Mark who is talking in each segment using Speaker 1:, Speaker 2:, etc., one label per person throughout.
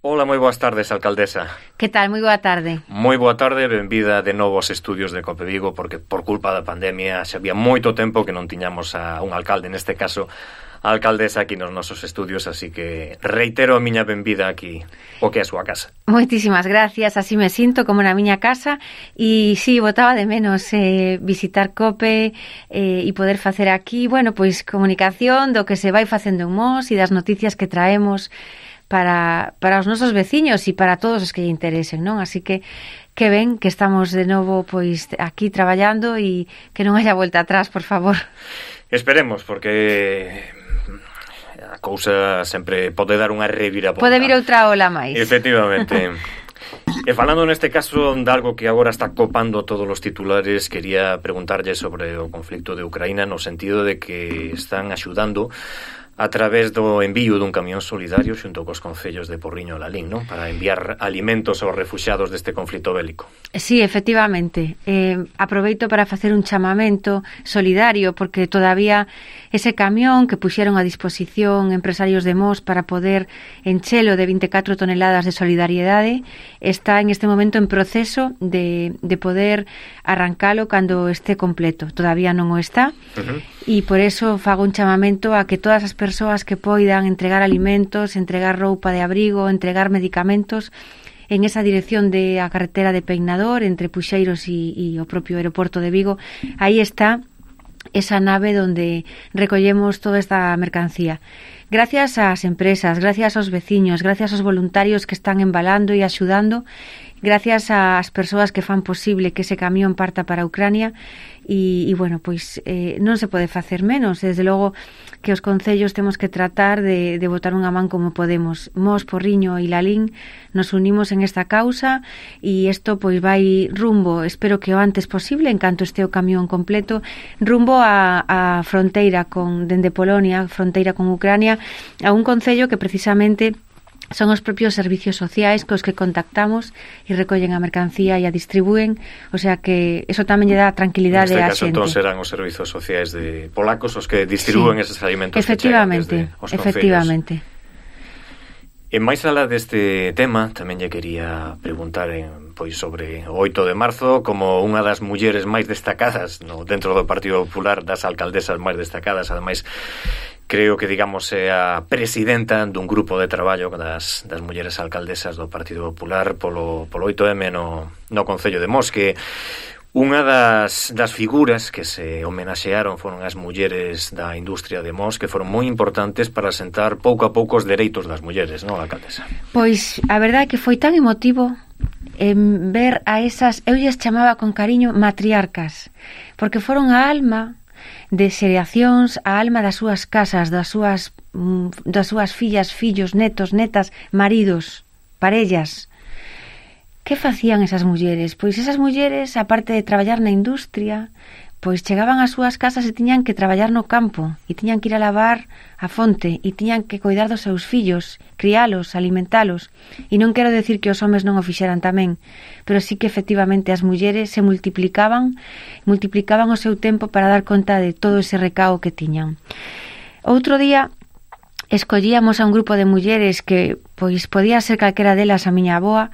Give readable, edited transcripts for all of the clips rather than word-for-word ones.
Speaker 1: Ola, moi boas tardes, alcaldesa.
Speaker 2: Que tal? Moi boa tarde.
Speaker 1: Moi boa tarde, benvida de novo aos estudios de Cope Vigo, porque por culpa da pandemia xa había moito tempo que non tiñamos a un alcalde, neste caso a alcaldesa aquí nos nosos estudios, así que reitero a miña benvida aquí, o que é a súa casa.
Speaker 2: Moitísimas gracias, así me sinto como na miña casa, e sí, botaba de menos visitar Cope e poder facer aquí, bueno, pois comunicación do que se vai facendo en Mos e das noticias que traemos para os nosos veciños e para todos os que lle interesen, non? Así que ben que estamos de novo pois aquí traballando e que non haya volta atrás, por favor.
Speaker 1: Esperemos, porque a cousa sempre pode dar unha reviravolta.
Speaker 2: Pode vir outra ola máis.
Speaker 1: Efectivamente. E falando neste caso de algo que agora está copando todos os titulares, quería preguntarlle sobre o conflicto de Ucraína no sentido de que están axudando a través do envío dun camión solidario xunto cos concellos de Porriño e Lalín, non? Para enviar alimentos aos refuxiados deste conflito bélico.
Speaker 2: Sí, efectivamente. Aproveito para facer un chamamento solidario, porque todavía ese camión que puxeron a disposición empresarios de Mos para poder enchelo de 24 toneladas de solidariedade está en este momento en proceso de poder arrancalo cando esté completo. Todavía non o está. E por eso fago un chamamento a que todas as persoas que poidan entregar alimentos, entregar roupa de abrigo, entregar medicamentos en esa dirección de a carretera de Peinador entre Puxeiros e o propio aeroporto de Vigo. Aí está esa nave donde recollemos toda esta mercancía. Gracias ás empresas, gracias aos veciños, gracias aos voluntarios que están embalando e axudando, gracias ás persoas que fan posible que ese camión parta para Ucrania e bueno, pois non se pode facer menos. Desde logo que os concellos temos que tratar de botar unha man como podemos. Mos, Porriño e Lalín nos unimos en esta causa e isto pois vai rumbo, espero que o antes posible, en canto este o camión completo, rumbo a fronteira dende Polonia, fronteira con Ucrania, a un concello que precisamente son os propios servicios sociais cos que contactamos e recollen a mercancía e a distribúen, o sea que eso tamén lle dá tranquilidade á xente.
Speaker 1: Neste caso, entón, serán os servicios sociais de polacos os que distribúen eses alimentos que chegan desde os concellos. Efectivamente. E máis alá deste tema, tamén lle quería preguntar pois sobre o 8 de marzo como unha das mulleres máis destacadas dentro do Partido Popular, das alcaldesas máis destacadas, ademais creo que, digamos, é a presidenta dun grupo de traballo das mulleres alcaldesas do Partido Popular polo 8M no Concello de Mos, que unha das figuras que se homenaxearon foron as mulleres da industria de Mos, que foron moi importantes para sentar pouco a pouco os dereitos das mulleres, non, alcaldesa?
Speaker 2: Pois, a verdade é que foi tan emotivo ver a esas, eu lles chamaba con cariño matriarcas, porque foron a alma de xeracións, a alma das súas casas, das súas fillas, fillos, netos, netas, maridos, parellas. Que facían esas mulleres? Pois esas mulleres, aparte de traballar na industria, pois chegaban ás súas casas e tiñan que traballar no campo, e tiñan que ir a lavar a fonte, e tiñan que coidar dos seus fillos, crialos, alimentalos. E non quero decir que os homes non o fixeran tamén, pero sí que efectivamente as mulleres se multiplicaban o seu tempo para dar conta de todo ese recao que tiñan. Outro día escollíamos a un grupo de mulleres que pois podía ser calquera delas a miña avoa,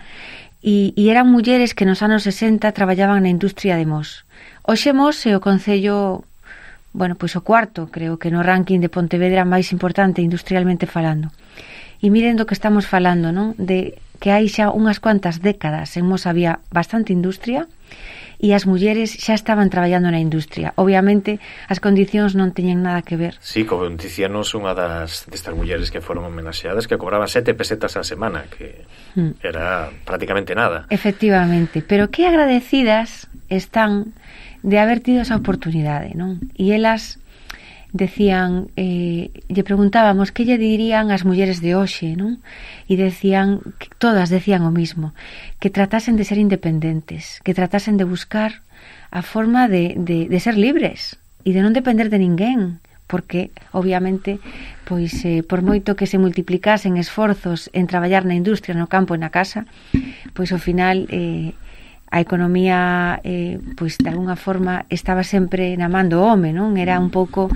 Speaker 2: e eran mulleres que nos anos 60 traballaban na industria de Mos. Hoxe Mos é o concello, bueno, pois o cuarto, creo que no ranking de Pontevedra máis importante industrialmente falando. E miren do que estamos falando, non? De que hai xa unhas cuantas décadas en Mos había bastante industria e as mulleres xa estaban traballando na industria. Obviamente, as condicións non teñen nada que ver.
Speaker 1: Sí, como dicíanos unha destas mulleres que foron homenaxeadas que cobraban 7 pesetas a semana, que era prácticamente nada.
Speaker 2: Efectivamente, pero que agradecidas están de haber tido esa oportunidade, non? E elas decían, lle preguntábamos que lle dirían as mulleres de hoxe, non? E decían, que todas decían o mismo, que tratasen de ser independentes, que tratasen de buscar a forma de ser libres e de non depender de ninguén, porque obviamente pois por moito que se multiplicasen esforzos en traballar na industria, no campo e na casa, pois ao final a economía pois de alguna forma estaba sempre na man do home, non? Era un pouco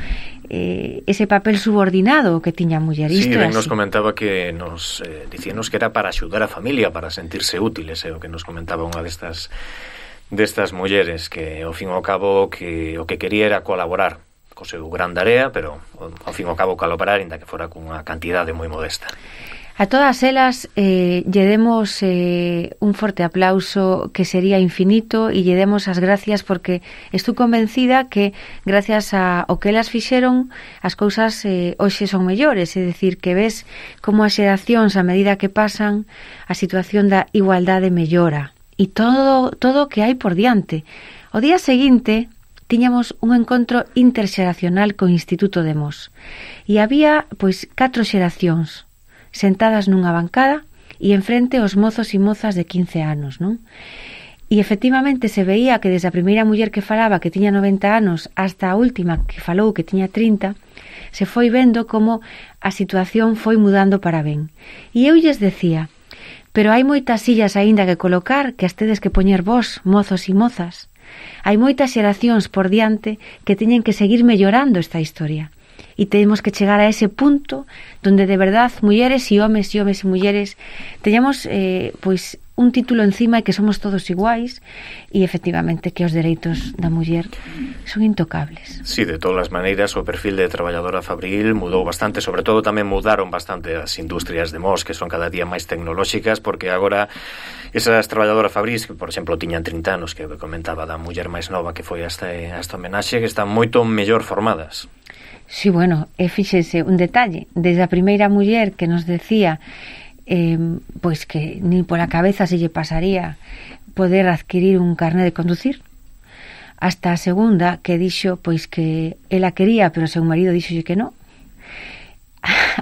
Speaker 2: ese papel subordinado que tiña a muller.
Speaker 1: Sí, ben nos comentaba que nos dicíanos que era para axudar a familia, para sentirse útiles, o que nos comentaba unha destas mulleres, que ao fin e ao cabo que o que quería era colaborar co seu gran tarea, pero ao fin e ao cabo colaborar, ainda que fora cunha cantidade moi modesta.
Speaker 2: A todas elas lle demos un forte aplauso que sería infinito e lle demos as gracias porque estou convencida que gracias ao que elas fixeron as cousas hoxe son mellores, é dicir, que ves como as xeracións a medida que pasan a situación da igualdade mellora e todo o que hai por diante. O día seguinte tiñamos un encontro interxeracional co Instituto de Mos e había pois 4 xeracións sentadas nunha bancada e enfrente os mozos e mozas de 15 anos, non? E efectivamente se veía que desde a primeira muller que falaba que tiña 90 anos hasta a última que falou que tiña 30, se foi vendo como a situación foi mudando para ben. E eu lles decía, pero hai moitas sillas aínda que colocar que as tedes que poñer vós, mozos e mozas. Hai moitas xeracións por diante que teñen que seguir mellorando esta historia. E temos que chegar a ese punto donde de verdad mulleres e homes e mulleres teñamos pois un título encima e que somos todos iguais e efectivamente que os dereitos da muller son intocables.
Speaker 1: Sí, de todas as maneiras o perfil de traballadora fabril mudou bastante, sobre todo tamén mudaron bastante as industrias de Mos, que son cada día máis tecnolóxicas, porque agora esas traballadoras fabrís que, por exemplo, tiñan 30 anos, que comentaba da muller máis nova que foi esta homenaxe, que están moito mellor formadas.
Speaker 2: Sí, bueno, fíxense un detalle, desde a primeira muller que nos decía pois que nin pola cabeza se lle pasaría poder adquirir un carné de conducir, hasta a segunda que dixo pois que ela quería, pero o seu marido dixolle que non,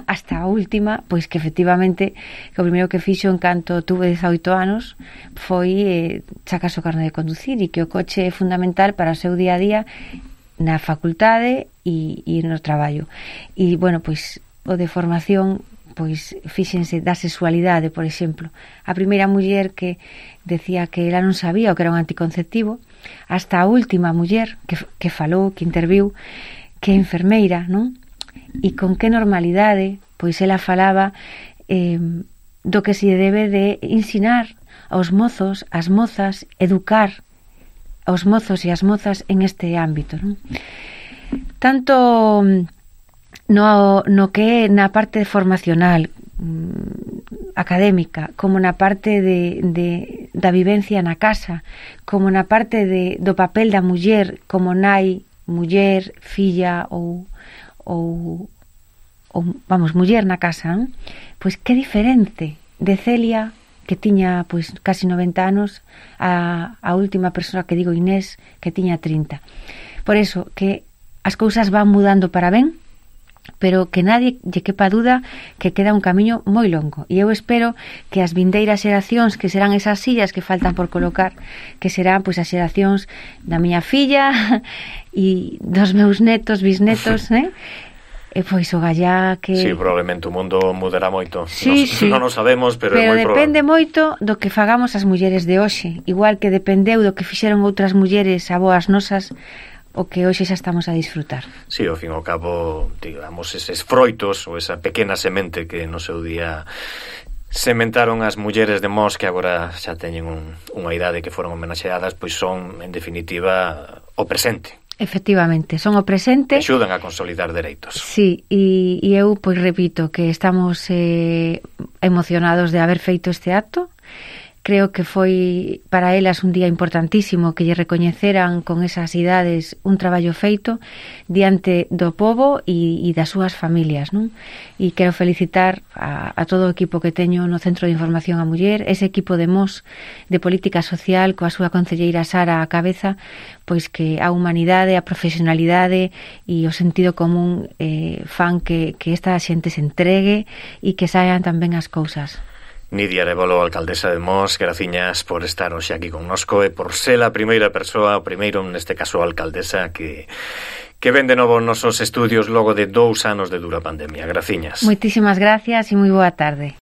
Speaker 2: hasta a última, pois que efectivamente que o primeiro que fixo en canto tuve 18 anos foi sacar o carné de conducir e que o coche é fundamental para o seu día a día na facultade e no traballo. E, bueno, pois, o de formación, pois, fíxense, da sexualidade, por exemplo. A primeira muller que decía que ela non sabía o que era un anticonceptivo, hasta a última muller que falou, que interviu, que é enfermeira, non? E con que normalidade, pois, ela falaba do que se debe de ensinar aos mozos, as mozas, educar aos mozos e as mozas en este ámbito, non? Tanto no que é na parte formacional académica, como na parte da vivencia na casa, como na parte do papel da muller como nai, muller, filla ou vamos, muller na casa, non? Pois que diferente de Celia, que tiña pois casi 90 anos, a última persoa que digo, Inés, que tiña 30. Por eso, que as cousas van mudando para ben, pero que nadie lle quepa duda que queda un camiño moi longo. E eu espero que as vindeiras xeracións, que serán esas sillas que faltan por colocar, que serán pois as xeracións da miña filla e dos meus netos, bisnetos, E pois o gallá que...
Speaker 1: Sí, probablemente o mundo mudará moito.
Speaker 2: Sí.
Speaker 1: Non o sabemos, pero é moi
Speaker 2: depende
Speaker 1: probable.
Speaker 2: Moito do que fagamos as mulleres de hoxe. Igual que dependeu do que fixeron outras mulleres aboas nosas, o que hoxe xa estamos a disfrutar.
Speaker 1: Sí, ao fin e ao cabo, digamos, eses froitos ou esa pequena semente que no seu día sementaron as mulleres de Mos, que agora xa teñen unha idade que foron homenaxeadas, pois son, en definitiva, o presente.
Speaker 2: Efectivamente, son o presente.
Speaker 1: Axudan a consolidar dereitos.
Speaker 2: Sí, e eu, pois, repito que estamos emocionados de haber feito este acto. Creo que foi para elas un día importantísimo que lle recoñeceran con esas idades un traballo feito diante do pobo e das súas familias, non? E quero felicitar a todo o equipo que teño no Centro de Información á Muller, ese equipo de Mos de Política Social coa súa concelleira Sara á cabeza, pois que a humanidade, a profesionalidade e o sentido común fan que esta xente se entregue e que saian tamén as cousas.
Speaker 1: Nidia Arévalo, alcaldesa de Mos, graciñas por estar hoxe aquí connosco e por ser a primeira persoa, o primeiro, neste caso, alcaldesa que ven de novo os nosos estudios logo de 2 anos de dura pandemia. Graciñas.
Speaker 2: Moitísimas gracias e moi boa tarde.